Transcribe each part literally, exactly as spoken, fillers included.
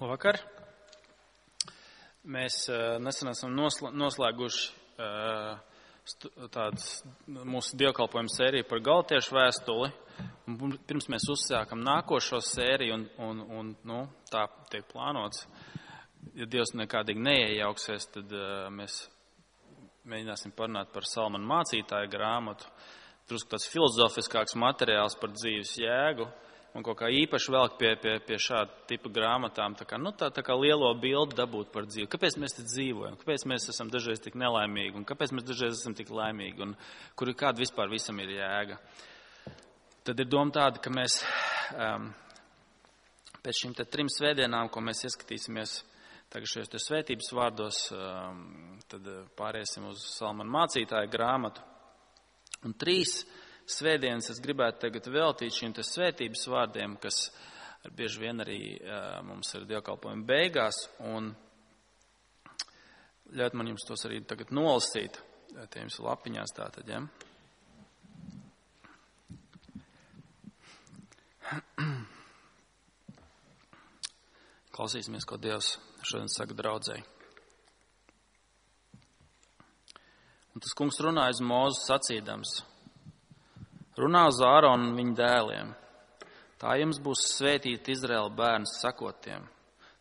Labvakar! Mēs uh, nesen esam noslēguši uh, tādas mūsu dievkalpojumu sēriju par Galatiešu vēstuli. Un pirms mēs uzsākam nākošo sēriju un, un, un nu, tā tiek plānots, ja Dievs nekādīgi neiejauksies, tad uh, mēs mēģināsim parunāt par Salmanu mācītāju grāmatu. Drusku tāds filozofiskāks materiāls par dzīves jēgu. Un kaut kā īpaši velk pie, pie, pie šāda tipa grāmatām, tā kā, nu, tā, tā kā lielo bildi dabūt par dzīvi. Kāpēc mēs te dzīvojam? Kāpēc mēs esam dažreiz tik nelaimīgi? Un kāpēc mēs dažreiz esam tik laimīgi? Un kur ir kāda vispār visam ir jēga? Tad ir doma tāda, ka mēs um, pēc šīm te trim svētdienām, ko mēs ieskatīsimies tagad šajos te svētības vārdos, um, tad pāriesim uz Salmanu mācītāju grāmatu. Un trīs svētdienas es gribētu tagad veltīt šīm te svētības vārdiem, kas bieži vien arī uh, mums ir dievkalpojuma beigās, un ļaut man jums tos arī tagad nolasīt, tie jums lapiņās tātad, ja? Klausīsimies, ko Dievs šodien saka draudzei. Un tas kungs runāja uz Mūzu sacīdams: runā uz Āronu un viņa dēliem. Tā jums būs svētīt Izraēla bērns sakotiem.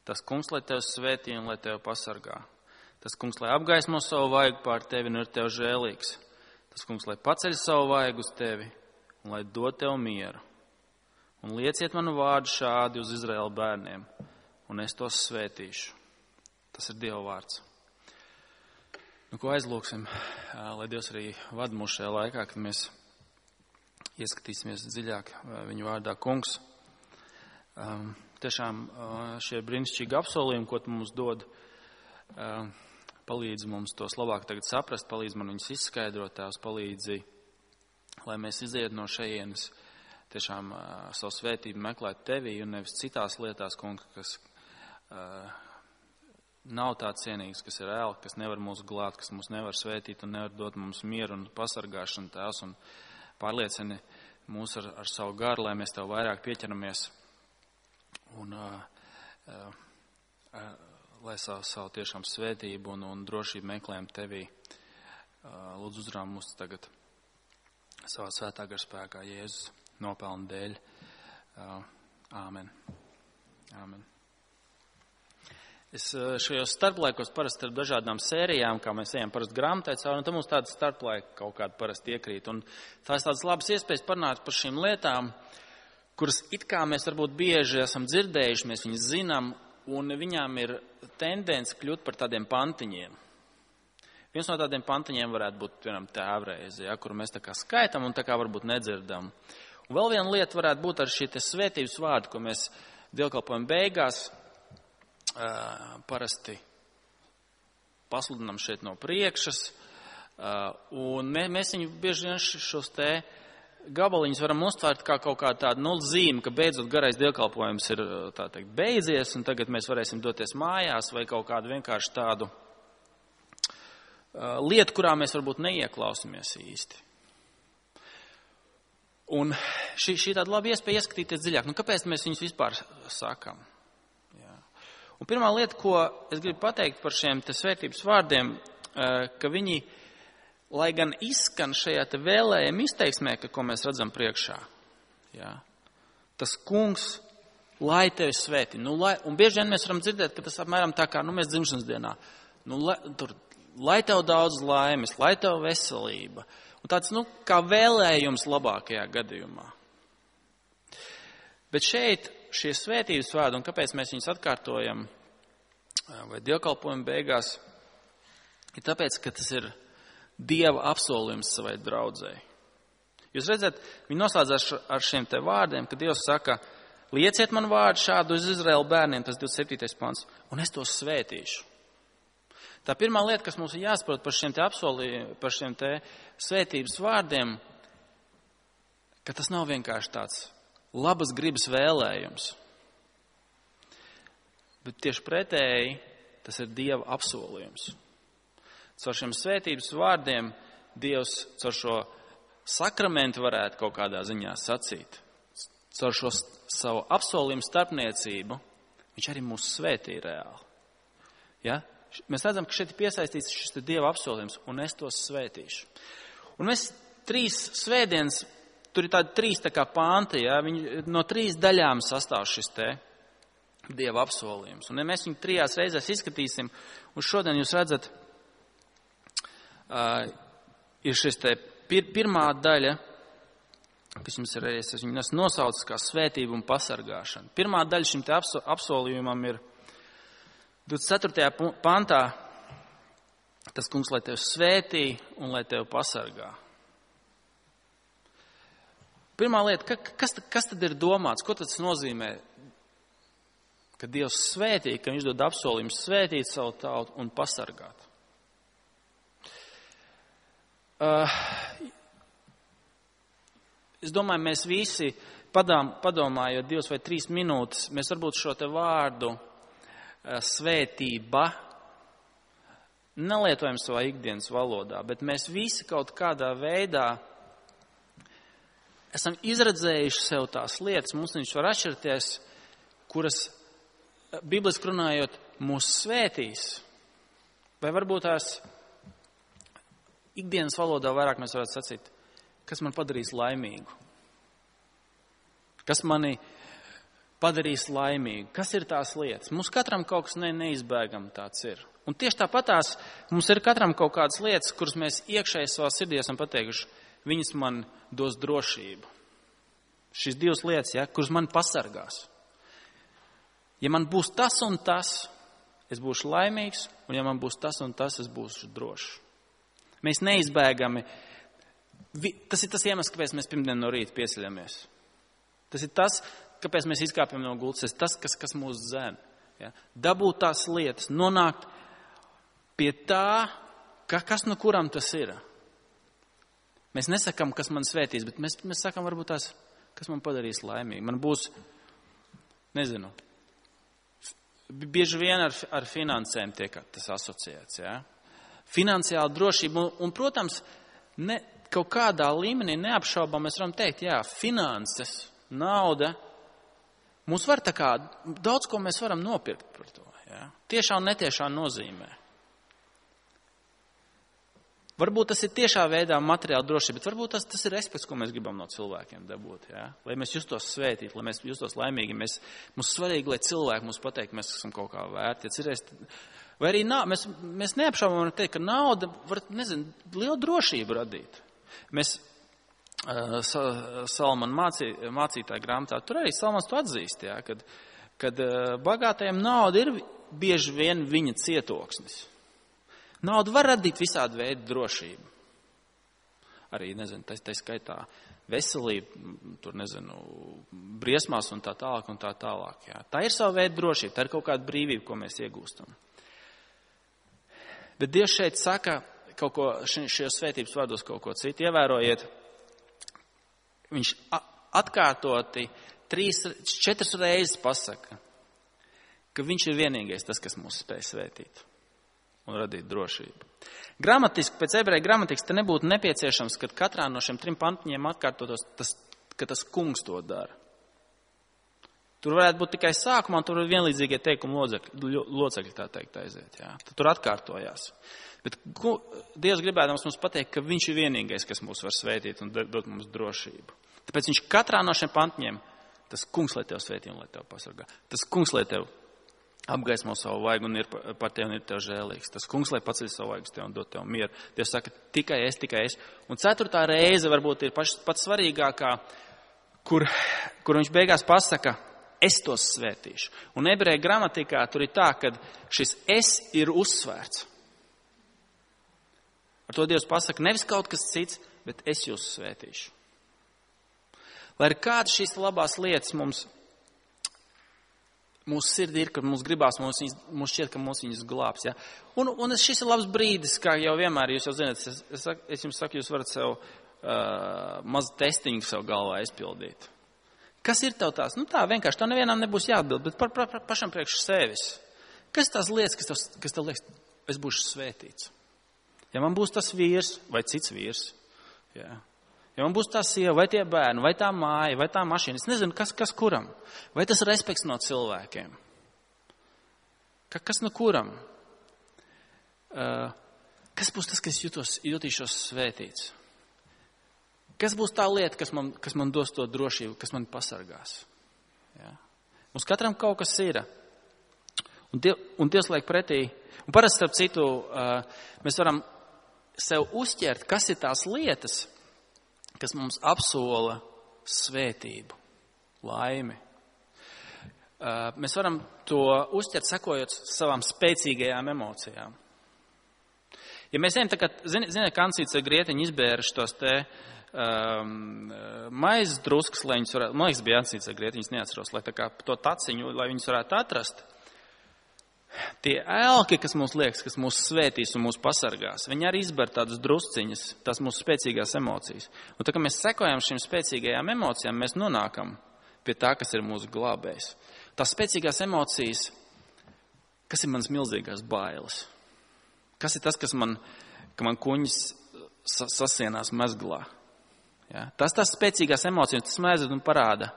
Tas kungs, lai tevi svētī un lai tevi pasargā. Tas kungs, lai apgaismo savu vaigu pār tevi un ir tev žēlīgs. Tas kungs, lai paceļ savu vaigu uz tevi un lai dod tev mieru. Un lieciet manu vārdu šādi uz Izraēla bērniem, un es tos svētīšu. Tas ir Dieva vārds. Nu, ko aizlūksim, lai Dievs arī vada mūs šajā laikā, kad mēs ieskatīsimies dziļāk viņu vārdā. Kungs, um, tiešām uh, šie brīnišķīgi apsolījumi, ko tu mums dod, uh, palīdz mums tos labāk tagad saprast, palīdz man viņus izskaidrot, tās palīdzi, lai mēs iziet no šejienes, tiešām uh, savu svētību meklēt tevī un nevis citās lietās, kungs, kas uh, nav tā cienīgs, kas ir ēl, kas nevar mūs glāt, kas mūs nevar svētīt un nevar dot mums mieru un pasargāšanu tās un pārliecini mūs ar, ar savu garu, lai mēs tev vairāk pieķeramies un uh, uh, uh, lai savu, savu tiešām svētību un, un drošību meklējam tevī. Uh, lūdzu uzrām mūs tagad savā svētā gara spēkā Jēzus nopelna dēļ. Uh, āmen. Āmen. Es šajos starplaikos parasti ar dažādām sērijām, kā mēs ejam parasti grāmatai cauri, un tad mums tāda starplaika kaut kāda parasti iekrīt. Un tās tādas labas iespējas parunāt par šīm lietām, kuras it kā mēs varbūt bieži esam dzirdējuši, mēs viņas zinām, un viņām ir tendence kļūt par tādiem pantiņiem. Viens no tādiem pantiņiem varētu būt, piemēram, tēvreize, ja, kuru mēs tā kā skaitam un tā kā varbūt nedzirdam. Un vēl viena lieta varētu būt ar šī te svētības vārdu, ko mēs dievkalpojam beigās Uh, parasti pasludinām šeit no priekšas, uh, un mē, mēs viņu bieži vien šos te gabaliņus varam uztvērt kā kaut kādu tādu nulles zīmi, ka beidzot garais dievkalpojums ir, tā teikt, beidzies, un tagad mēs varēsim doties mājās, vai kaut kādu vienkārši tādu uh, lietu, kurā mēs varbūt neieklausamies īsti. Un šī, šī tāda laba iespēja ieskatīties dziļāk. Nu, kāpēc mēs viņus vispār sakam? Un pirmā lieta, ko es gribu pateikt par šiem te svētības vārdiem, ka viņi, lai gan izskan šajā te vēlējuma izteiksmē, ka, ko mēs redzam priekšā, jā, tas kungs, lai tevi svētī. Nu, lai, un bieži vien mēs varam dzirdēt, ka tas apmēram tā kā, nu, mēs dzimšanas dienā, nu, lai, tur, lai tev daudz laimes, lai tev veselība. Un tāds, nu, kā vēlējums labākajā gadījumā. Bet šeit šie svētības vārdi, un kāpēc mēs viņus atkārtojam vai dievkalpojam beigās, ir tāpēc, ka tas ir Dieva apsolījums savai draudzei. Jūs redzat, viņi noslēdzās ar šiem te vārdiem, kad Dievs saka, lieciet man vārdu šādu uz Izraēla bērniem, tas divdesmit septītais pants, un es tos svētīšu. Tā pirmā lieta, kas mums ir jāsaprot par šiem te apsolījumiem, par šiem te svētības vārdiem, ka tas nav vienkārši tāds labas gribas vēlējums. Bet tieši pretēji, tas ir Dieva apsolījums. Caur šiem svētības vārdiem Dievs caur šo sakramentu varētu kaut kādā ziņā sacīt. Caur šo savu apsolījumu starpniecību Viņš arī mūs svētī reāli. Ja? Mēs redzam, ka šeit ir piesaistīts šis Dieva apsolījums, un es tos svētīšu. Un mēs trīs svētdienas, tur ir tādi trīs tā kā panti, ja? Viņi, no trīs daļām sastāv šis te Dieva apsolījums. Un ja mēs viņu trijās reizēs izskatīsim, un šodien jūs redzat, uh, ir šis te pir, pirmā daļa, kas jums ir reizes, es viņu nosaucu kā svētība un pasargāšana. Pirmā daļa šim te apsolījumam ir divdesmit ceturtajā pantā, tas kungs, lai tevi svētī un lai tevi pasargā. Pirmā lieta, kas, kas tad ir domāts, ko tas nozīmē? Ka Dievs svētī, ka viņš dod apsolījumu svētīt savu tautu un pasargāt. Uh, es domāju, mēs visi padām, padomājot divas vai trīs minūtes, mēs varbūt šo te vārdu uh, svētība nelietojam savā ikdienas valodā, bet mēs visi kaut kādā veidā esam izredzējuši sev tās lietas, mums viņš var atšķirties, kuras bibliski runājot, mūs svētīs, vai varbūt tās ikdienas valodā vairāk mēs varētu sacīt, kas man padarīs laimīgu, kas mani padarīs laimīgu, kas ir tās lietas. Mums katram kaut kas ne, neizbēgam tāds ir. Un tieši tāpatās mums ir katram kaut kādas lietas, kuras mēs iekšēji savā sirdī esam pateikuši, viņas man dos drošību. Šīs divas lietas, ja, kuras man pasargās. Ja man būs tas un tas, es būšu laimīgs, un ja man būs tas un tas, es būšu drošs. Mēs neizbēgami, tas ir tas iemesls, kāpēc mēs pirmdien no rīta pieceļamies. Tas ir tas, kāpēc mēs izkāpjam no gultas, tas ir tas, kas, kas mūs dzen. Ja? Dabūt tās lietas, nonākt pie tā, ka, kas no kuram tas ir. Mēs nesakam, kas man svētīs, bet mēs, mēs sakam varbūt tās, kas man padarīs laimīgi. Man būs, nezinu, bieži vien ar, ar finansēm tiek tas asociēts. Ja? Finansiāla drošība un, un protams, ne, kaut kādā līmenī neapšaubām mēs varam teikt, jā, finanses, nauda, mums var tā kā, daudz ko mēs varam nopirkt par to. Ja? Tiešā un netiešā nozīmē. Varbūt tas ir tiešā veidā materiāla drošība, bet varbūt tas, tas ir respekts, ko mēs gribam no cilvēkiem dabūt. Ja? Lai mēs justos svētīti, lai mēs justos laimīgi. Mēs, mums svarīgi, lai cilvēki mums pateikt, mēs esam kaut kā vērti. Ja cerēs, vai arī nā, mēs, mēs neapšaubām varam teikt, ka nauda var, nezinu, lielu drošību radīt. Mēs uh, Salmana mācī, mācītāja grāmatā, tur arī Salmans to atzīst, ja? kad, kad uh, bagātajiem nauda ir bieži vien viņa cietoksnis. Nauda var radīt visādi veidu drošību. Arī, nezinu, tā, tā skaitā veselība, tur, nezinu, briesmās un tā tālāk un tā tālāk. Jā. Tā ir sava veida drošība, tā ir kaut kāda brīvība, ko mēs iegūstam. Bet Dievs šeit saka kaut ko, šajos svētības vārdos kaut ko citu. Ievērojiet, viņš atkārtoti trīs, četras reizes pasaka, ka viņš ir vienīgais tas, kas mūs spēj svētīt un radīt drošību. Gramatiski, pēc ebreju gramatikas, te nebūtu nepieciešams, ka katrā no šiem trim pantiņiem atkārtotos, tas, ka tas kungs to dara. Tur varētu būt tikai sākumā, un tur ir vienlīdzīgie teikumi locekļi, locekļi tā teikt aiziet. Jā. Tur atkārtojās. Bet Dievs gribēdams mums pateikt, ka viņš ir vienīgais, kas mūs var svētīt un dot mums drošību. Tāpēc viņš katrā no šiem pantiņiem, tas kungs, lai tev svētī un lai tev pasargā. Tas kungs, lai tev apgaismo savu vaigu un ir par tevi un ir tev žēlīgs. Tas kungs, lai paceļ savu vaigu tev un dot tev mieru. Dievs saka, tikai es, tikai es. Un ceturtā reize varbūt ir paš, pats svarīgākā, kur, kur viņš beigās pasaka, es tos svētīšu. Un ebreju gramatikā tur ir tā, ka šis es ir uzsvērts. Ar to Dievs pasaka, nevis kaut kas cits, bet es jūs svētīšu. Lai ir kādas šīs labās lietas mums, mūsu sirdī ir, kad mums gribās, mums, viņas, mums šķiet, ka mums viņas glābs. Ja? Un, un šis ir labs brīdis, kā jau vienmēr jūs jau zināt, es, es, es jums saku, jūs varat sev uh, mazu testiņu sev galvā izpildīt. Kas ir tev tās? Nu tā, vienkārši, tev nevienam nebūs jāatbild, bet par, par, par pašam priekš sevis. Kas tās lietas, kas tev, kas tev liekas, es būšu svētīts? Ja man būs tas vīrs vai cits vīrs, ja, ja man būs tā sieva vai tie bērni, vai tā māja, vai tā mašīna, es nezinu, kas, kas kuram, vai tas respekts no cilvēkiem. Ka, kas no kuram? Uh, kas būs tas, kas jutos, jutīšos svētīts? Kas būs tā lieta, kas man, kas man dos to drošību, kas man pasargās? Ja? Mums katram kaut kas ir. Un, die, un Dievs liek pretī. Un parasti, starp citu, uh, mēs varam sev uzķert, kas ir tās lietas, kas mums apsola svētību, laimi. Uh, mēs varam to uzķert, sekojot savām spēcīgajām emocijām. Ja mēs zinām, ka, ziniet, Kancīts ar Grietiņu izbēra šos te um, maizes druskas, lai viņus varētu, man liekas, bija Kancīts ar Grietiņus, neatceros, lai tā kā to taciņu, lai viņus varētu atrast. Tie ēlki, kas mums liekas, kas mūs svētīs un mūs pasargās, viņi arī izber tādas drusciņas, tās mūsu spēcīgās emocijas. Un tā, ka mēs sekojam šīm spēcīgajām emocijām, mēs nonākam pie tā, kas ir mūsu glābējs. Tās spēcīgās emocijas, kas ir manas milzīgās bailes? Kas ir tas, kas man, ka man kuņas sasienās mezglā? Ja? Tas tās spēcīgās emocijas, tas man aizved un parāda,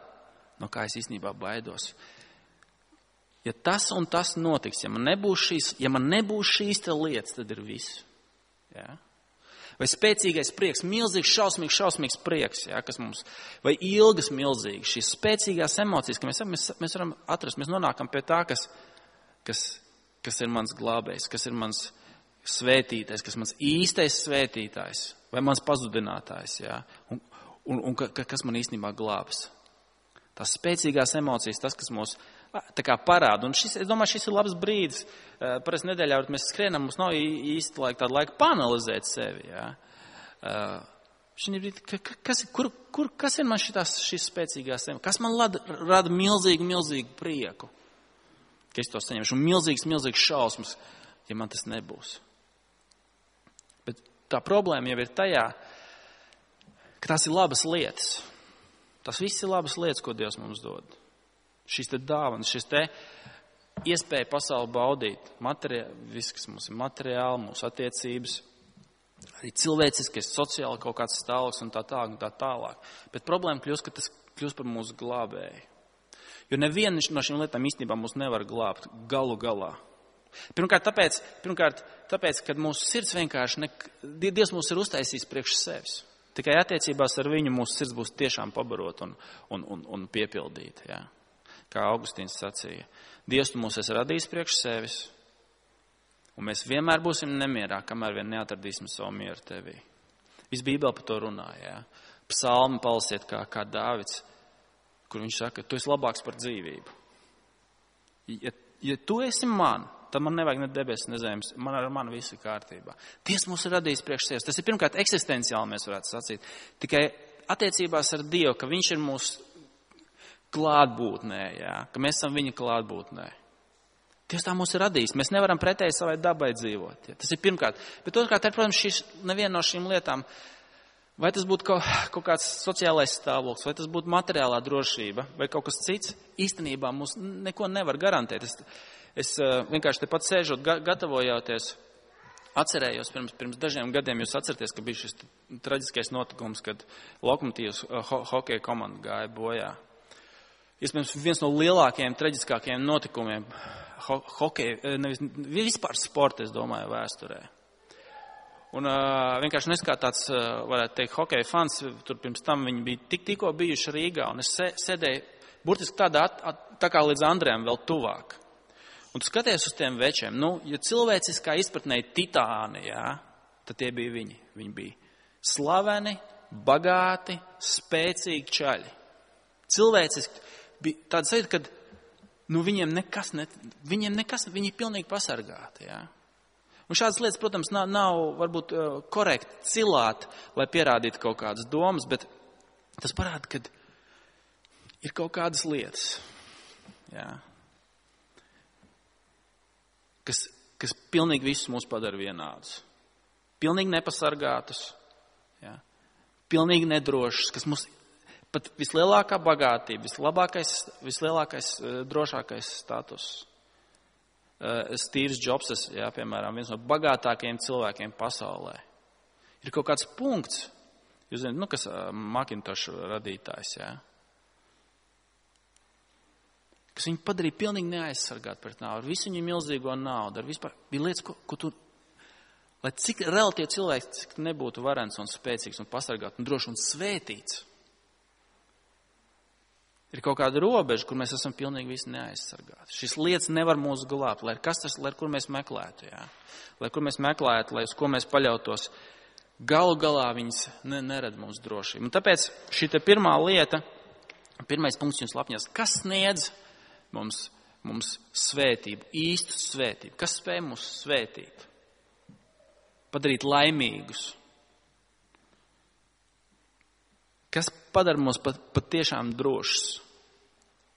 no kā es īstenībā baidos. Ja tas un tas notiks, ja man nebūs šīs, ja man nebūs šīs te lietas, tad ir viss. Ja? Vai spēcīgais prieks, milzīgs, šausmīgs, šausmīgs prieks, ja, kas mums, vai ilgas milzīgas, šīs spēcīgās emocijas, ka mēs, mēs, mēs varam atrast, mēs nonākam pie tā, kas, kas, kas ir mans glābējs, kas ir mans svētītais, kas mans īstais svētītājs, vai mans pazudinātājs, ja, un, un, un ka, kas man īstenībā glābs. Tās spēcīgās emocijas, tas, kas mūs tā kā parāda. Un šis, es domāju, šis ir labs brīdis. Parasti nedēļā, kad mēs skrienam, mums nav īsti laika, tāda laika panalizēt sevi. Ja? Brīdī, kas, kur, kur, kas ir man šitās, šīs spēcīgās emocijas? Kas man rada, rada milzīgu, milzīgu prieku? Ka es to saņemšu. Un milzīgs, milzīgs šausmas, ja man tas nebūs. Bet tā problēma jau ir tajā, ka tās ir labas lietas. Tas viss ir labas lietas, ko Dievs mums dod. Šīs te dāvanas, šis te iespēja pasauli baudīt, materiāli, viss, kas mums ir materiāli, mūsu attiecības, arī cilvēciskais, sociāli kaut kāds stāvoklis un tā tālāk un tā tālāk. Bet problēma kļūst, ka tas kļūst par mūsu glābēju. Jo neviena no šīm lietām īstenībā mūs nevar glābt galu galā. Pirmkārt, tāpēc, pirmkārt, tāpēc kad mūsu sirds vienkārši, ne, Dievs mūs ir uztaisījis priekš sevis. Tikai attiecībās ar viņu mūsu sirds būs tiešām pabarot un, un, un, un piepildīt. Ja? Kā Augustīns sacīja. Dievs tu mūs esi radījis priekš sevis, un mēs vienmēr būsim nemierā, kamēr vien neatradīsim savu mieru tevī. Viss Bībele par to runā. Ja? Psalmi palasiet kā, kā Dāvids, kur viņš saka, tu esi labāks par dzīvību. Ja, ja tu esi man, tad man nevajag ne debesis, ne zemes, man ar mani viss ir kārtībā. Dievs mūs ir radījis priekš sevis. Tas ir pirmkārt eksistenciāli, mēs varētu sacīt. Tikai attiecībās ar Dievu, ka viņš ir mūsu klātbūtnē, jā, ka mēs esam viņa klātbūtnē. Dievs tā mūs ir radījis. Mēs nevaram pretēji savai dabai dzīvot. Jā. Tas ir pirmkārt. Bet otrkārt, ir, protams, šis, neviena no šīm lietām, vai tas būtu kaut, kaut kāds sociālais stāvoklis, vai tas būtu materiālā drošība, vai kaut kas cits, īstenībā mums neko nevar garantēt. Es, Es vienkārši te pat sēžot, gatavojoties, atcerējos pirms, pirms dažiem gadiem, jūs atceraties, ka bija šis traģiskais notikums, kad Lokomotīvas ho hokeja komanda gāja bojā. Iespējams, viens no lielākajiem, traģiskākajiem notikumiem ho hokeja, nevis vispār sporta, es domāju, vēsturē. Un uh, vienkārši nes kā tāds, uh, varētu teikt, hokeja fans, tur pirms tam viņi bija tik tikko bijuši Rīgā, un es sēdēju burtiski tādā, at, at, tā kā līdz Andrejam vēl tuvāk. Un tu skaties uz tiem večiem, nu, ja cilvēciskā izpratnē ir titāni, jā, tad tie bija viņi. Viņi bija slaveni, bagāti, spēcīgi čaļi. Cilvēciski bija tāds sajūta, ka nu, viņiem nekas, ne, viņiem nekas, viņi ir pilnīgi pasargāti, jā. Un šādas lietas, protams, nav, nav varbūt korekti cilāt, lai pierādītu kaut kādas domas, bet tas parāda, ka ir kaut kādas lietas, jā. Kas, kas pilnīgi visus mūs padara vienādus. Pilnīgi nepasargātus, ja? Pilnīgi nedrošus, kas mums pat vislielākā bagātība, vislabākais, vislielākais, drošākais status. Steve's Jobs, ja, piemēram, viens no bagātākajiem cilvēkiem pasaulē. Ir kaut kāds punkts, jūs zināt, nu, kas Macintosh radītājs, ja? kas viņu padarīja pilnīgi neaizsargāt pret nāvi, ar visu viņu milzīgo naudu, ar vispār, bija lietas, ko, ko tu, lai cik relatīvi cilvēks, cik nebūtu varens un spēcīgs un pasargāt un droši un svētīts. Ir kaut kāda robeža, kur mēs esam pilnīgi visi neaizsargāti. Šīs lietas nevar mūs glābt, lai kas tas, lai kur mēs meklētu, jā. Lai kur mēs meklētu, lai uz ko mēs paļautos. Galu galā viņas ne, nerad mums drošību. Un tāpēc šī te pirmā lieta, pirmais punkts jums lapņās, kas sniedz mums, mums svētību, īstu svētību? Kas spēj mūs svētīt? Padarīt laimīgus? Kas padara mūs pat, pat tiešām drošus?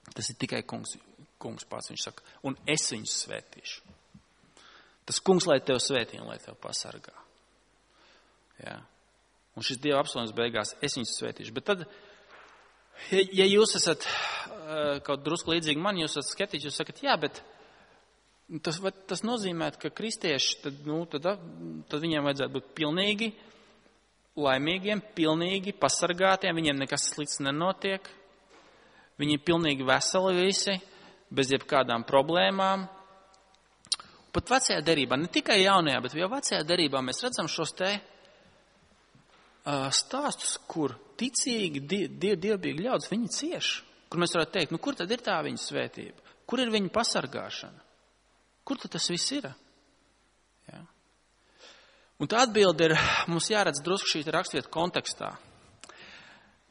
Tas ir tikai kungs, kungs pats, viņš saka, un es viņus svētīšu. Tas kungs, lai tev svētī un lai tev pasargā. Jā. Un šis Dieva apsolījums beigās, es viņus svētīšu. Bet tad, ja, ja jūs esat uh, kaut drusku līdzīgi man, jūs esat skeptiķi, jūs sakat, jā, bet tas, tas nozīmē, ka kristieši, tad, nu, tad, tad viņiem vajadzētu būt pilnīgi laimīgiem, pilnīgi pasargātiem, viņiem nekas slikts nenotiek. Viņi ir pilnīgi veseli visi, bez jebkādām problēmām. Pat vecajā derībā, ne tikai jaunajā, bet jau vecajā derībā mēs redzam šos te uh, stāstus, kur ticīgi, die, dievbīgi ļaudis, viņi cieš. Kur mēs varētu teikt, nu kur tad ir tā viņa svētība? Kur ir viņa pasargāšana? Kur tad tas viss ir? Jā. Un tā atbilde ir, mums jāredz drusku šī rakstvieta kontekstā.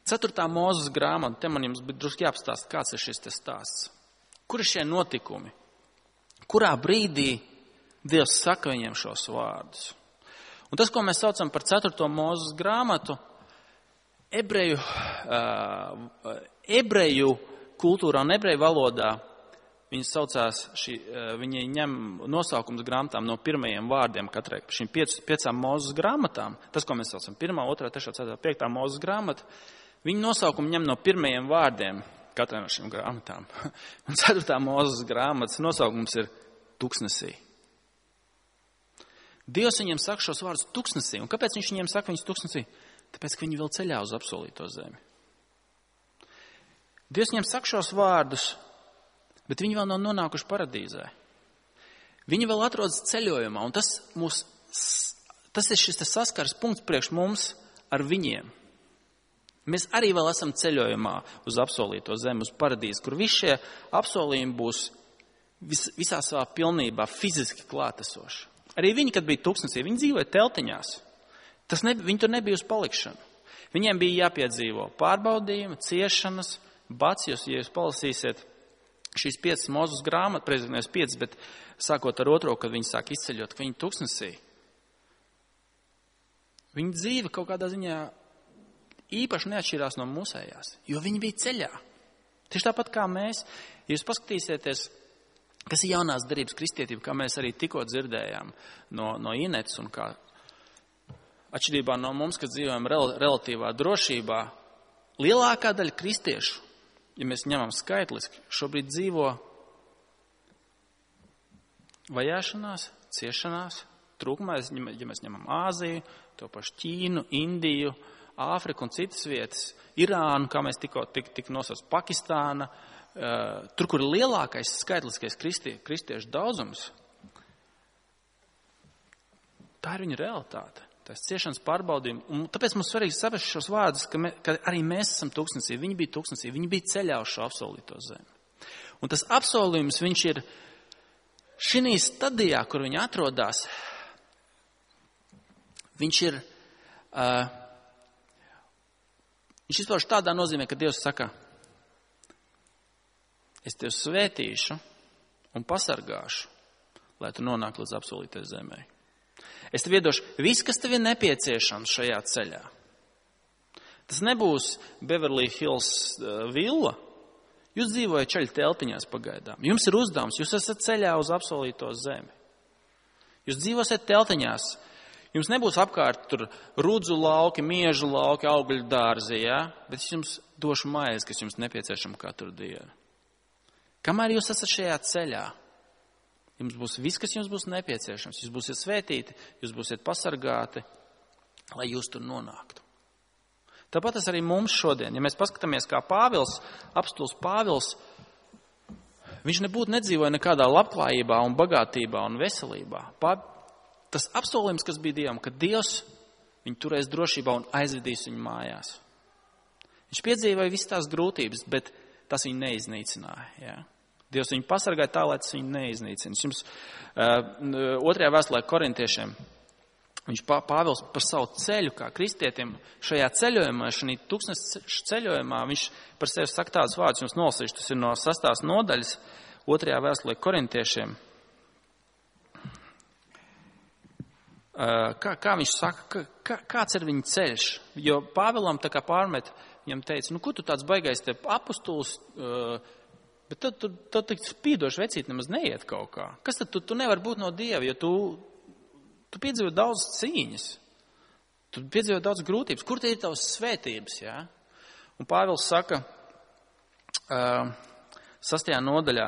Ceturtā Mūzes grāmata, te man jums bija drusku jāapstāst, kāds ir šis te stāsts. Kur ir šie notikumi? Kurā brīdī Dievs saka viņiem šos vārdus? Un tas, ko mēs saucam par ceturto Mūzes grāmatu, ebreju, uh, ebreju kultūrā un ebreju valodā, viņi saucās, šī, uh, viņi ņem nosaukums grāmatām no pirmajiem vārdiem katrai, šīm piec, piecām Mūzes grāmatām. Tas, ko mēs saucam, pirmā, otrā, trešā, ceturtā, piektā Mūzes grāmata, viņi nosaukumu ņem no pirmajiem vārdiem katrai no šīm grāmatām. Un ceturtā Mūzes grāmatas nosaukums ir tuksnesī. Dievs viņiem saka šos vārdus tuksnesī. Un kāpēc viņš viņiem saka viņus tuksnesī? Tāpēc, ka viņi vēl ceļā uz apsolīto zemi. Dievs viņiem saka šos vārdus, bet viņi vēl nav nonākuši paradīzē. Viņi vēl atrodas ceļojumā, un tas, mūs, tas ir šis saskars punkts priekš mums ar viņiem. Mēs arī vēl esam ceļojumā uz apsolīto zemi, uz paradīzi, kur visi šie apsolījumi būs vis, visā savā pilnībā fiziski klātesoši. Arī viņi, kad bija tūkstnesī, viņi dzīvoja teltiņās. Tas ne, viņi tur nebija uz palikšanu. Viņiem bija jāpiedzīvo pārbaudījumi, ciešanas, bats, jūs, ja jūs palasīsiet šīs piecas Mūzes grāmatas, prezidentēs piecas, bet sākot ar otro, kad viņi sāk izceļot, ka viņi tūkstnesī. Viņa dzīve kaut kādā ziņā īpaši neatšķirās no mūsējās, jo viņi bija ceļā. Tieši tāpat kā mēs, ja jūs paskatīsieties, kas ir jaunās derības kristietība, kā mēs arī tikko dzirdējām no, no Inetes un kā atšķirībā no mums, kad dzīvojam rel, relatīvā drošībā, lielākā daļa kristiešu, ja mēs ņemam skaitliski, šobrīd dzīvo vajāšanās, ciešanās, trūkumā, ja mēs ņemam Āziju, to pašu Ķīnu, Indiju, Āfriku un citas vietas, Irānu, kā mēs tikko tik, tik nosauc, Pakistāna, uh, tur, kur ir lielākais skaitliskais kristie, kristiešu daudzums, tā ir viņa realitāte, tās ciešanas pārbaudījumi. Un tāpēc mums svarīgi saprast šos vārdus, ka, me, ka arī mēs esam tūkstnesī, viņi bija tūkstnesī, viņi bija ceļā uz šo apsolīto zemi. Un tas apsolījums, viņš ir šī stadijā, kur viņi atrodas, viņš ir... Uh, Viņš izpauž tādā nozīmē, ka Dievs saka, es tevi svētīšu un pasargāšu, lai tu nonāk līdz apsolītai zemē. Es tev iedošu viss, kas tev ir nepieciešams šajā ceļā. Tas nebūs Beverly Hills uh, villa. Jūs dzīvojat ceļa teltiņās pagaidām. Jums ir uzdevums, jūs esat ceļā uz apsolīto zemi. Jūs dzīvosiet teltiņās. Jums nebūs apkārt tur rudzu lauki, miežu lauki, augļu dārzi, ja? Bet es jums došu maizi, kas jums nepieciešama katru dienu. Kamēr jūs esat šajā ceļā, jums būs viss, kas jums būs nepieciešams. Jūs būsiet svētīti, jūs būsiet pasargāti, lai jūs tur nonāktu. Tāpat tas arī mums šodien. Ja mēs paskatāmies, kā Pāvils, apostuls Pāvils, viņš nebūtu nedzīvoja nekādā labklājībā un bagātībā un veselībā. Pār, tas apsolījums, kas bija Dievam, ka Dievs viņu turēs drošībā un aizvedīs viņu mājās. Viņš piedzīvoja visas tās grūtības, bet tas viņu neiznīcināja. Ja? Dievs viņu pasargāja tā, lai tas viņu neiznīcina. Jums uh, otrajā vēstulē korintiešiem viņš Pāvils par savu ceļu, kā kristietim, šajā ceļojumā, šajā tūkstnes ceļojumā, viņš par sevi saka tādus vārdus, jums nolasīšu, tas ir no sastās nodaļas, otrajā vēstulē korintiešiem. Kā, kā viņš saka, kā, kāds ir viņa ceļš? Jo Pāvilam tā kā pārmet, viņam teica, nu, ko tu tāds baigais te apustulis, bet tad tu, tu, tu spīdoši vecīt nemaz neiet kaut kā. Kas tad tu, tu nevar būt no Dieva, jo tu, tu piedzīvo daudz cīņas, tu piedzīvo daudz grūtības. Kur te ir tavas svētības, jā? Un Pāvils saka, uh, sastajā nodaļā,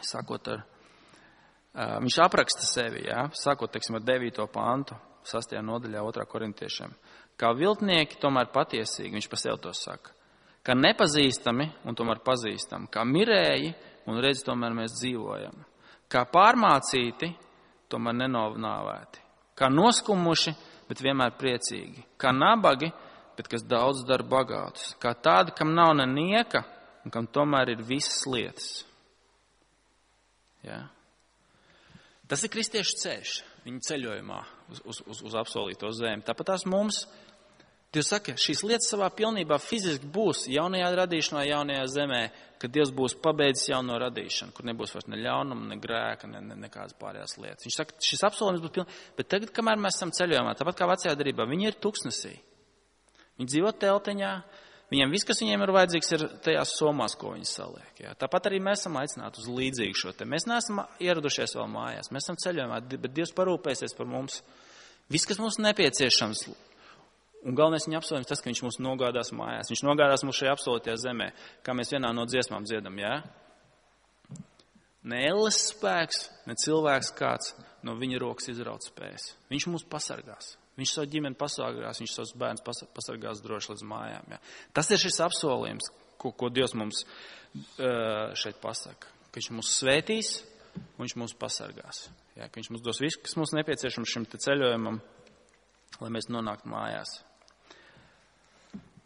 sākot ar, uh, viņš apraksta sevi, jā, sākot, teiksim, ar devīto pantu, sastajā nodaļā otrā korintiešiem. Kā viltnieki, tomēr patiesīgi, viņš par sevi to saka. Kā nepazīstami un tomēr pazīstami. Kā mirēji un redz, tomēr mēs dzīvojam. Kā pārmācīti, tomēr nenovnāvēti. Kā noskumuši, bet vienmēr priecīgi. Kā nabagi, bet kas daudz dara bagātus. Kā tādi, kam nav ne nieka un kam tomēr ir visas lietas. Ja? Tas ir kristiešu ceļš viņa ceļojumā uz, uz, uz, uz apsolīto zemi. Tāpat tās mums, Dievs saka, šīs lietas savā pilnībā fiziski būs jaunajā radīšanā, jaunajā zemē, kad Dievs būs pabeidzis jauno radīšanu, kur nebūs vairs ne ļaunuma, ne grēka, ne, ne nekādas pārējās lietas. Viņš saka, šis apsolījums būs pilnīgi, bet tagad, kamēr mēs esam ceļojumā, tāpat kā vecajā darbā, viņi ir tuksnesī. Viņi dzīvo telteņā, viņiem viss, kas viņiem ir vajadzīgs, ir tajās somās, ko viņi saliek. Jā. Tāpat arī mēs esam aicināti uz līdzīgu šo te. Mēs neesam ieradušies vēl mājās, mēs esam ceļojumā, bet Dievs parūpēsies par mums. Viss, kas mums nepieciešams. Un galvenais viņa apsolījums tas, ka viņš mūs nogādās mājās. Viņš nogādās mūs šajā apsolītajā zemē, kā mēs vienā no dziesmām dziedam, jā? Ne elles spēks, ne cilvēks kāds no viņa rokas izraut spējas. Viņš mūs pasargās. Viņš savu ģimeni pasargās, viņš savus bērnus pasargās droši līdz mājām. Jā? Tas ir šis apsolījums, ko, ko Dievs mums uh, šeit pasaka. Ka viņš mūs svētīs un viņš mūs pasargās. Jā? Ka viņš mums dos visu, kas mums nepieciešams šim te ceļojumam, lai mēs nonāktu mājās.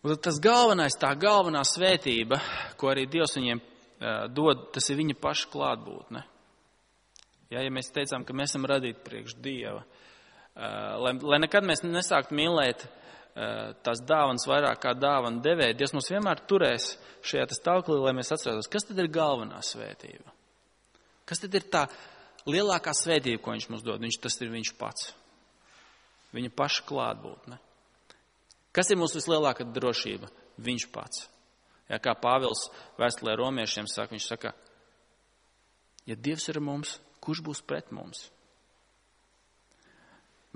Un tas galvenais, tā galvenā svētība, ko arī Dievs viņiem uh, dod, tas ir viņa paša klātbūtne. Ja, ja mēs teicām, ka mēs esam radīti priekš Dieva, uh, lai, lai nekad mēs nesāktu mīlēt uh, tās dāvanas vairāk kā dāvanu devēja, Dievs mums vienmēr turēs šajā tas tauklī, lai mēs atcerētos, kas tad ir galvenā svētība? Kas tad ir tā lielākā svētība, ko viņš mums dod? Viņš, tas ir viņš pats. Viņa paša klātbūtne. Kas ir mūsu vislielākā drošība? Viņš pats. Ja, kā Pāvils vēstulē romiešiem saka, viņš saka, ja Dievs ir mums, kurš būs pret mums?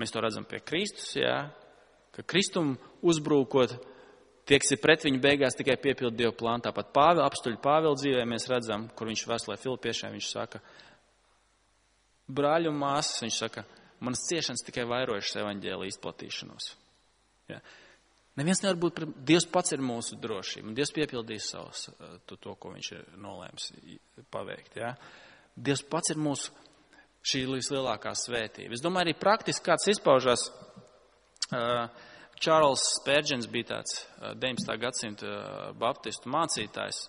Mēs to redzam pie Kristus, jā, ka Kristum uzbrūkot, tie, kas ir pret viņu beigās tikai piepildu Dievu plānu. Tāpat Pāvila, apstuļu Pāvila dzīvē mēs redzam, kur viņš vēstulē Filipiešiem, viņš saka, brāļu un māsas, viņš saka, manas ciešanas tikai vairojušas evaņģēlija izplatīšanos. Ja. Neviens nevar būt, Dievs pats ir mūsu drošība, un Dievs piepildīs savus, to, to, ko viņš ir nolēms paveikt. Ja. Dievs pats ir mūsu šī vislielākā svētība. Es domāju, arī praktiski kāds izpaužās, uh, Čārls Spērģens bija tāds uh, deviņpadsmitā gadsimta uh, baptistu mācītājs,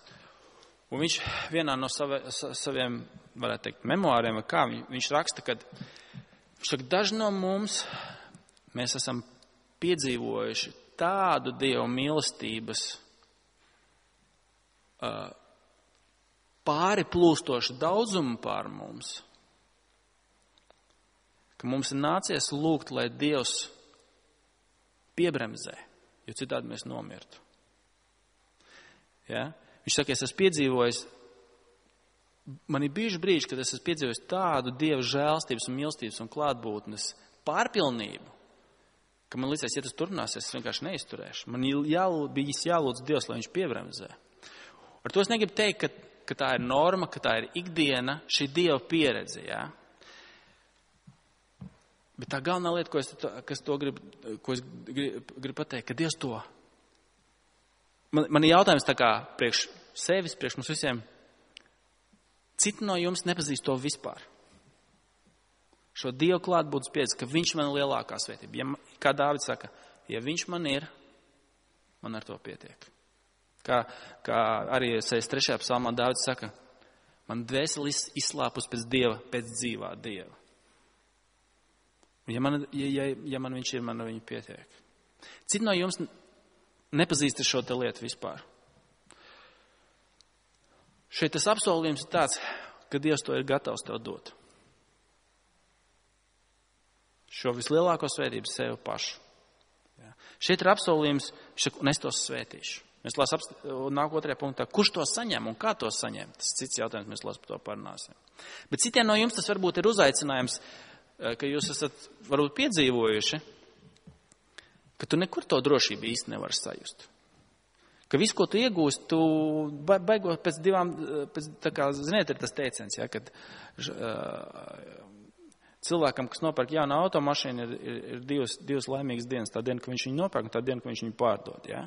un viņš vienā no save, sa, saviem, varētu teikt, memoāriem, vai kā, viņš, viņš raksta, ka viņš saka, daži no mums, mēs esam piedzīvojuši tādu Dieva mīlestības uh, pāri plūstošu daudzumu pār mums, ka mums ir nācies lūgt, lai Dievs piebremzē, jo citādi mēs nomirtu. Ja? Viņš saka, es esmu piedzīvojis, man ir bijuši brīži, kad es esmu piedzīvojis tādu Dieva žēlstības un mīlestības un klātbūtnes pārpilnību, ka man līdzies, ja tas turpināsies, es vienkārši neizturēšu. Man jālūdz, bijis jālūdz Dievs, lai viņš piebremzē. Ar to es negribu teikt, ka, ka tā ir norma, ka tā ir ikdiena, šī Dieva pieredze, jā. Bet tā galvenā lieta, ko es, kas to grib, ko es gribu, gribu pateikt, ka Dievs to. Man, man ir jautājums tā kā priekš sevis, priekš mums visiem, Citi no jums nepazīst to vispār. Šo Dievu klātbūtnes pieredzi, ka viņš man ir lielākā svētība. Ja, kā Dāvids saka, ja viņš man ir, man ar to pietiek. Kā, kā arī sešdesmit trešajā psalmā Dāvids saka, man dvēseli izslāpus pēc Dieva, pēc dzīvā Dieva. Ja man, ja, ja, ja man viņš ir, man ar viņu pietiek. Citi no jums nepazīst šo te lietu vispār. Šeit tas apsolījums ir tāds, ka Dievs to ir gatavs tev dot. Šo vislielāko svētību sev pašu. Ja. Šeit ir apsolījums, un es tos svētīšu. Mēs lasām nāk otrajā punktā, kurš to saņem un kā to saņem. Tas cits jautājums, mēs lasām par to parunāsim. Bet citiem no jums tas varbūt ir uzaicinājums, ka jūs esat varbūt piedzīvojuši, ka tu nekur to drošību īsti nevari sajust. Ka visu, ko tu iegūst, tu beigot pēc divām, pēc, tā kā, ziniet, ir tas teiciens, ja, kad uh, cilvēkam, kas nopērk jaunu automašīnu, ir, ir, ir divas, divas laimīgas dienas. Tā diena, ka viņš viņu nopērk, un tā diena, ka viņš viņu pārdod, ja.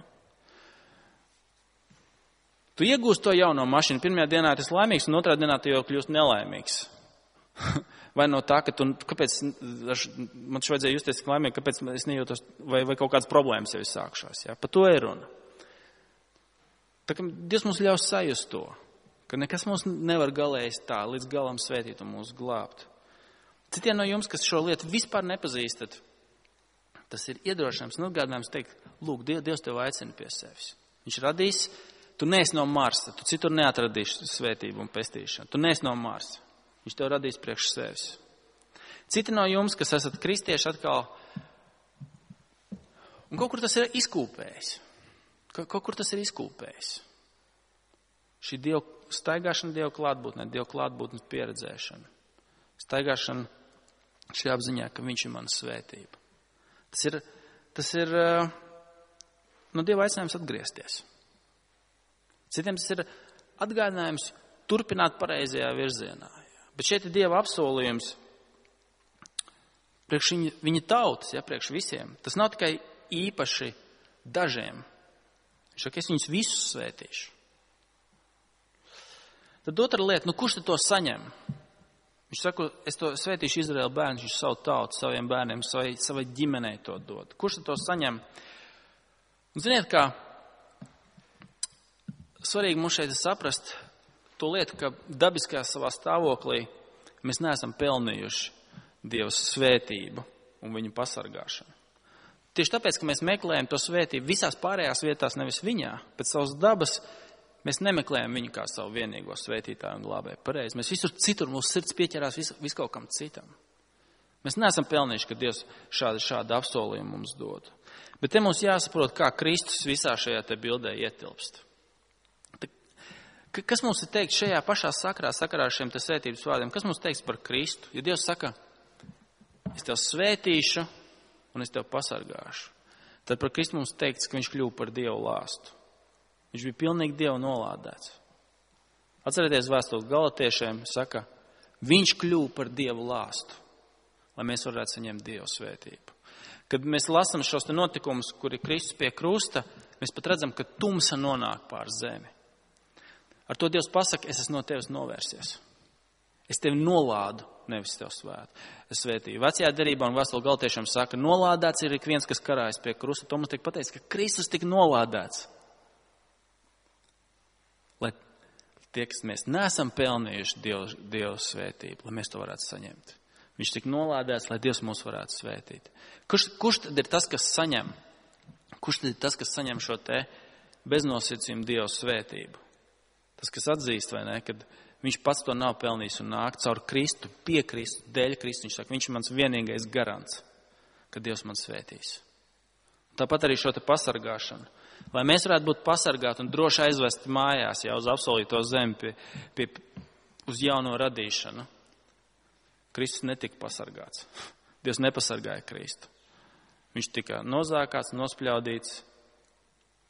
Tu iegūst to jauno mašīnu, pirmajā dienā tas laimīgs, un otrā dienā tu jau kļūst nelaimīgs. Vai no tā, ka tu, kāpēc, man šo vajadzēja justies tik laimīgi, kāpēc es nejūtos, vai, vai kaut kādas problēmas jau ir sākšās, ja. Par to ir runa. Tā kā Dievs mums ļaus sajust to, ka nekas mums nevar galējis tā, līdz galam svētīt un mūs glābt. Citiem no jums, kas šo lietu vispār nepazīstat, tas ir iedrošinājums un atgādinājums teikt, lūk, Dievs tev aicina pie sevis. Viņš radīs, tu neesi no Marsa, tu citur neatradīsi svētību un pestīšanu, tu neesi no Marsa. Viņš tev radīs priekš sevis. Citi no jums, kas esat kristieši atkal, un kaut kur tas ir izkūpējis. Kaut kur tas ir izkūpējis. Šī dievu, staigāšana Dievu klātbūtnē, Dievu klātbūtnes pieredzēšana. Staigāšana šī apziņā, ka viņš ir mana svētība. Tas ir, tas ir no Dieva aicinājums atgriezties. Citiem tas ir atgādinājums turpināt pareizajā virzienā. Bet šeit ir Dieva apsolījums priekš viņa, viņa tautas, ja, priekš visiem. Tas nav tikai īpaši dažiem. Viņš saka, es viņus visus svētīšu. Tad otra lieta, nu kurš tad to saņem? Viņš saka, es to svētīšu Izraēla bērnus, viņš savu tautu, saviem bērniem, savai, savai ģimenei to dod. Kurš tad to saņem? Un ziniet, kā svarīgi mums šeit saprast to lietu, ka dabiskajā savā stāvoklī mēs neesam pelnījuši Dieva svētību un viņu pasargāšanu. Tieši tāpēc, ka mēs meklējam to svētību visās pārējās vietās, nevis viņā, pēc savas dabas, mēs nemeklējam viņu kā savu vienīgo svētītāju un glābēju. Pareizi. Mēs visur citur, mūsu sirds pieķerās vis, vis kaut kam citam. Mēs neesam pelnījuši, ka Dievs šādu, šādu apsolījumu mums dod. Bet te mums jāsaprot, kā Kristus visā šajā te bildē ietilpst. Kas mums ir teikt šajā pašā sakarā, sakarā ar šiem te svētības vārdiem? Kas mums teiks par Kristu? Ja Dievs saka, es tev svētīšu, un es tev pasargāšu. Tad par Kristu mums teikts, ka viņš kļuva par Dievu lāstu. Viņš bija pilnīgi Dievu nolādēts. Atcerieties vēstuli Galatiešiem, saka, viņš kļuva par Dievu lāstu, lai mēs varētu saņemt Dievu svētību. Kad mēs lasām šos te notikumus, kur ir Kristus pie krusta, mēs pat redzam, ka tumsa nonāk pār zemi. Ar to Dievs pasaka, es esmu no tevis novērsies. Es tevi nolādu, nevis tev svētu. Es svētīju. Vecajā derībā un vēstuli Galatiešiem saka, nolādēts ir ik viens, kas karājas pie krusta. To mums tiek pateicis, ka Kristus tika nolādēts. Lai tie, kas mēs neesam pelnījuši Dievu, Dievu svētību, lai mēs to varētu saņemt. Viņš tika nolādēts, lai Dievs mūs varētu svētīt. Kurš, kurš tad ir tas, kas saņem? Kurš tad ir tas, kas saņem šo te beznosacījumu Dievu svētību? Tas, kas atzīst, vai ne, kad viņš pats to nav pelnījis un nāk caur Kristu, pie Kristu, dēļ Kristu. Viņš saka, viņš ir mans vienīgais garants, ka Dievs man svētīs. Tāpat arī šo te pasargāšanu. Lai mēs varētu būt pasargāti un droši aizvest mājās jau uz apsolīto zemi pie, pie, uz jauno radīšanu. Kristus netika pasargāts. Dievs nepasargāja Kristu. Viņš tika nozākāts, nospļaudīts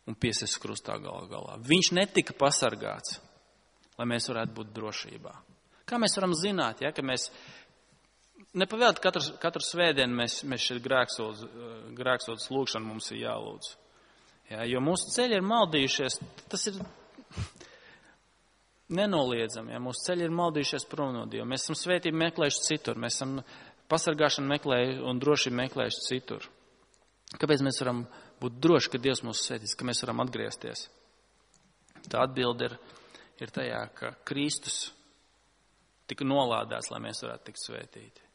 un piesists krustā galā galā. Viņš netika pasargāts, lai mēs varētu būt drošībā. Kā mēs varam zināt, ja, ka mēs nepavēlt katru, katru svētdienu mēs, mēs šeit grēksūdz, grēksūdz lūgšanu mums ir jālūdz. Ja, jo mūsu ceļi ir maldījušies, tas ir nenoliedzami, ja mūsu ceļi ir maldījušies prom no Dieva. Mēs esam svētību meklējuši citur, mēs esam pasargāšanu meklējuši un drošību meklējuši citur. Kāpēc mēs varam būt droši, ka Dievs mūs svētīs, ka mēs varam atgriezties? Tā atbilde ir, ir tajā, ka Kristus tika nolādēts, lai mēs varētu tikt svētīti.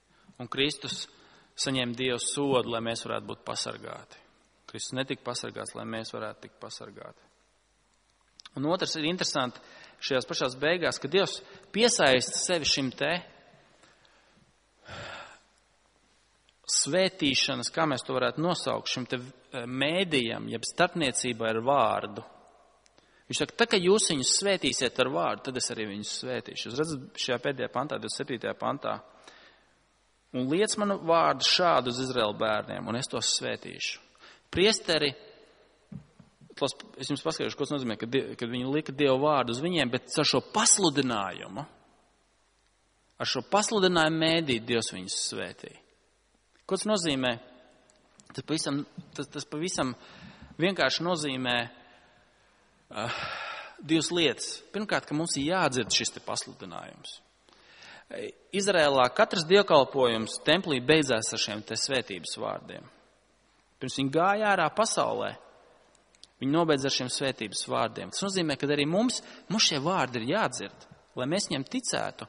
Un Kristus saņēma Dievu sodu, lai mēs varētu būt pasargāti. Kristus netika pasargāts, lai mēs varētu tikt pasargāti. Un otrs ir interesanti šajās pašās beigās, ka Dievs piesaista sevi šim te svētīšanas, kā mēs to varētu nosaukt, šim te mēdījam, jeb starpniecībā ar vārdu. Viņš saka, tā, ka jūs viņus svētīsiet ar vārdu, tad es arī viņus svētīšu. Jūs redzat šajā pēdējā pantā, divdesmit septītajā pantā. Un liec manu vārdu šādu uz Izraēla bērniem, un es tos svētīšu. Priesteri, es jums paskaidrošu, ko tas nozīmē, kad, kad viņi lika Dievu vārdu uz viņiem, bet ar šo pasludinājumu, ar šo pasludinājumu mēdīt Dievs viņus svētīja. Ko tas nozīmē? Tas pavisam, tas, tas pavisam vienkārši nozīmē uh, divas lietas. Pirmkārt, ka mums ir jādzird šis te pasludinājums. Izrēlā katrs dievkalpojums templī beidzās ar šiem te svētības vārdiem. Pirms viņi gāja ārā pasaulē, viņi nobeidz ar šiem svētības vārdiem. Tas nozīmē, ka arī mums, mums šie vārdi ir jādzird, lai mēs viņiem ticētu.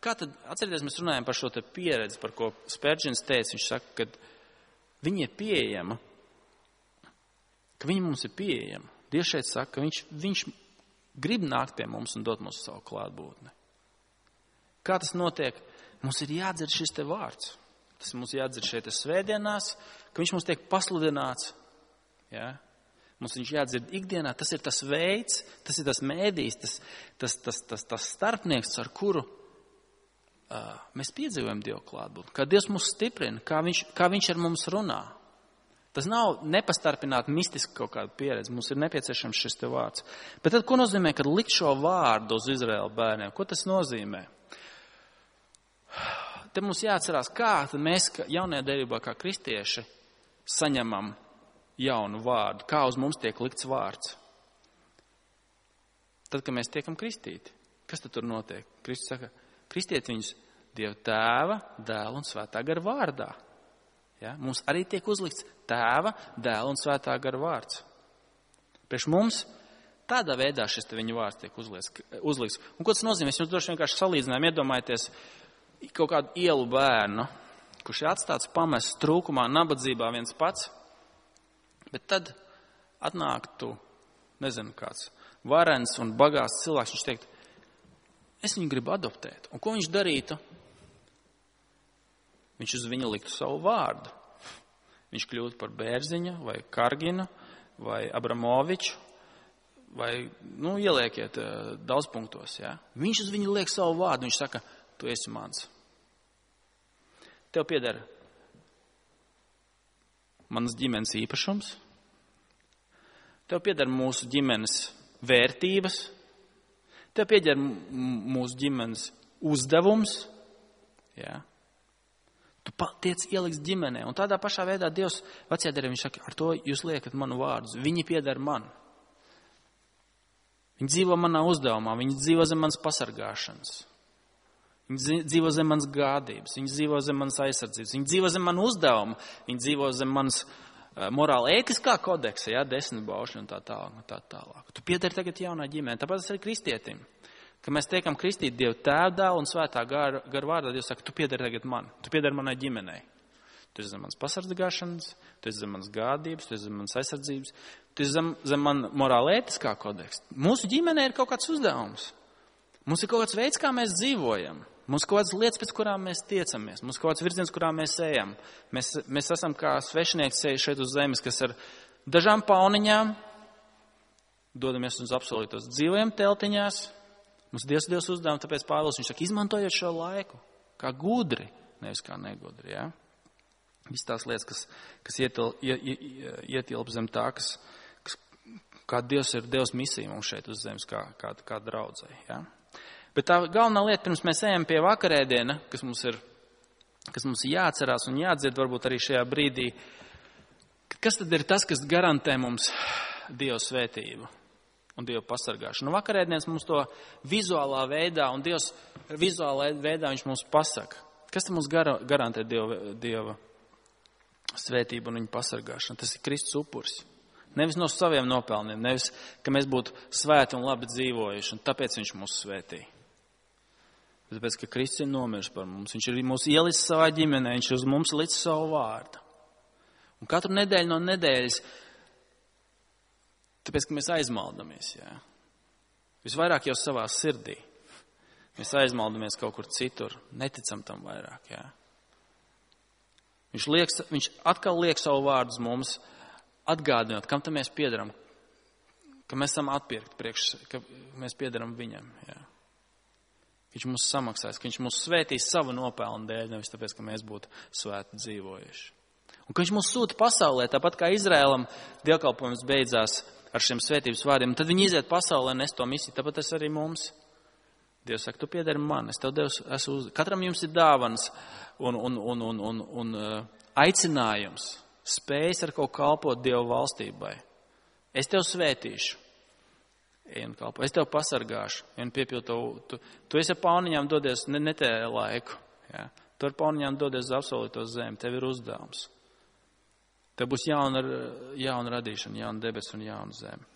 Kā tad, atcerieties, mēs runājam par šo te pieredzi, par ko Spērģins teica. Viņš saka, ka viņi ir pieejama, ka viņi mums ir pieejama. Dievs šeit saka, ka viņš, viņš grib nākt pie mums un dot mums savu klātbūtni. Kā tas notiek? Mums ir jādzird šis te vārds. Tas mums jādzird šeit svētdienās, ka viņš mums tiek pasludināts. Ja? Mums viņš jādzird ikdienā. Tas ir tas veids, tas ir tas mēdījis, tas, tas, tas, tas, tas starpnieks, ar kuru Uh, mēs piedzīvojam Dievu klātbūtni, kā Dievs mūs stiprina, kā viņš, kā viņš ar mums runā. Tas nav nepastarpināt mistiski kaut kāda pieredze, mums ir nepieciešams šis te vārds. Bet tad, ko nozīmē, kad likt šo vārdu uz Izraēla bērniem? Ko tas nozīmē? Te mums jāatcerās, kā mēs jaunajā derībā kā kristieši saņemam jaunu vārdu, kā uz mums tiek likts vārds. Tad, kad mēs tiekam kristīti, kas tad tur notiek? Kristus saka, kristiet viņus Dieva tēva, dēla un svētā gara vārdā. Ja? Mums arī tiek uzlikts tēva, dēla un svētā gara vārds. Priekš mums tādā veidā šis te viņa vārds tiek uzlikts. Un ko tas nozīmē? Es jums droši vienkārši salīdzinājumu, iedomājieties kaut kādu ielu bērnu, kurš ir atstāts pamests trūkumā, nabadzībā viens pats, bet tad atnāktu, nezinu kāds, varens un bagāts cilvēks, viņš teikt, es viņu gribu adoptēt. Un ko viņš darītu? Viņš uz viņu liktu savu vārdu. Viņš kļūtu par Bērziņu vai Karginu vai Abramoviču vai, nu, ieliekiet daudz punktos, jā. Viņš uz viņu liek savu vārdu. Viņš saka, tu esi mans. Tev pieder manas ģimenes īpašums. Tev pieder mūsu ģimenes vērtības. Tev pieder mūsu ģimenes uzdevums, jā. Tu tiec ieliks ģimenē. Un tādā pašā veidā Dievs vecajā derībā, viņš saka, ar to jūs liekat manu vārdus. Viņi pieder man. Viņi dzīvo manā uzdevumā, viņi dzīvo zem manas pasargāšanas. Viņi dzīvo zem manas gādības, viņi dzīvo zem manas aizsardzības, viņi dzīvo zem manu uzdevumu, viņi dzīvo zem manas uh, morāla ētiskā kodeksa, jā, desmit baušļi un tā tālāk, un tā tālāk. Tu piedari tagad jaunā ģimenē, tāpēc tas ir kristietim. Kad mēs tiekam kristīt Dievu tēvu, dēlu un svētā gara, gara vārdā, Dievs saka, tu piedari tagad man, tu piedari manai ģimenei. Tu esi zem manas pasargāšanas, tu esi zem manas gādības, tu esi zem manas aizsardzības, tu esi zem, zem man morāla ētiskā kodeksa. Mūsu ģimenē ir kaut kāds uzdevums. Mums ir kaut kāds veids, kā mēs dzīvojam. Mums ir kaut kādas lietas, pēc kurām mēs tiecamies. Mums ir kaut kāds virziens, kurā mēs ejam. Mēs, mēs esam kā svešinieki ceļi šeit uz zemes, kas ar dažām pauniņām dodamies uz apsolītos dzīvojam teltiņās. Mums Dievs Dievs uzdevumi, tāpēc Pāvils viņš saka, izmantojot šo laiku, kā gudri, nevis kā negudri, jā. Viss tās lietas, kas, kas ietil, ietilp zem tā, kas, kas, kā Dievs ir Dievs misija mums šeit uz zemes, kā, kā, kā draudzei, jā. Bet tā galvenā lieta, pirms mēs ejam pie vakarēdiena, kas mums ir, kas mums ir jāatcerās un jādzird varbūt arī šajā brīdī, kas tad ir tas, kas garantē mums Dieva svētību? un Dieva pasargāšanu. Un vakarēdienas mums to vizuālā veidā, un Dievs vizuālā veidā viņš mums pasaka. Kas tam mums gar, garantē Dieva, Dieva svētību un viņa pasargāšanu? Tas ir Kristus upuris. Nevis no saviem nopelniem, nevis, ka mēs būtu svēti un labi dzīvojuši, un tāpēc viņš mūs svētīja. Tāpēc, ka Kristus ir nomiris par mums. Viņš ir mūs ielicis savā ģimenē, viņš ir uz mums licis savu vārdu. Un katru nedēļu no nedēļas, tāpēc, ka mēs aizmaldamies, jā. Visvairāk jau savā sirdī. Mēs aizmaldamies kaut kur citur, neticam tam vairāk, jā. Viņš, liek, viņš atkal liek savu vārdu uz mums, atgādinot, kam tam mēs piedaram, ka mēs esam atpirkti priekš, ka mēs piedaram viņam, jā. Viņš mums samaksās, ka viņš mūs svētīs savu nopelnu dēļ, nevis tāpēc, ka mēs būtu svēti dzīvojuši. Un ka viņš mūs sūta pasaulē, tāpat kā Izraēlam dievkalpojums beidzās ar šiem svētības vārdiem, un tad viņi iziet pasaulē un nes to misiju, tāpat tas arī mums. Dievs saka, tu piedari man, es tev Dievs esmu uz... Katram jums ir dāvans un, un, un, un, un, un uh, aicinājums, spējas ar kaut kalpot Dieva valstībai. Es tev svētīšu. Ej un kalpo. Es tev pasargāšu. Un piepildu, tu, tu esi ar pauniņām dodies ne, ne te laiku. Jā. Tu ar pauniņām dodies uz absolūto zemi. Tev ir uzdevums. Tev būs jauna, jauna radīšana, jauna debes un jauna zeme.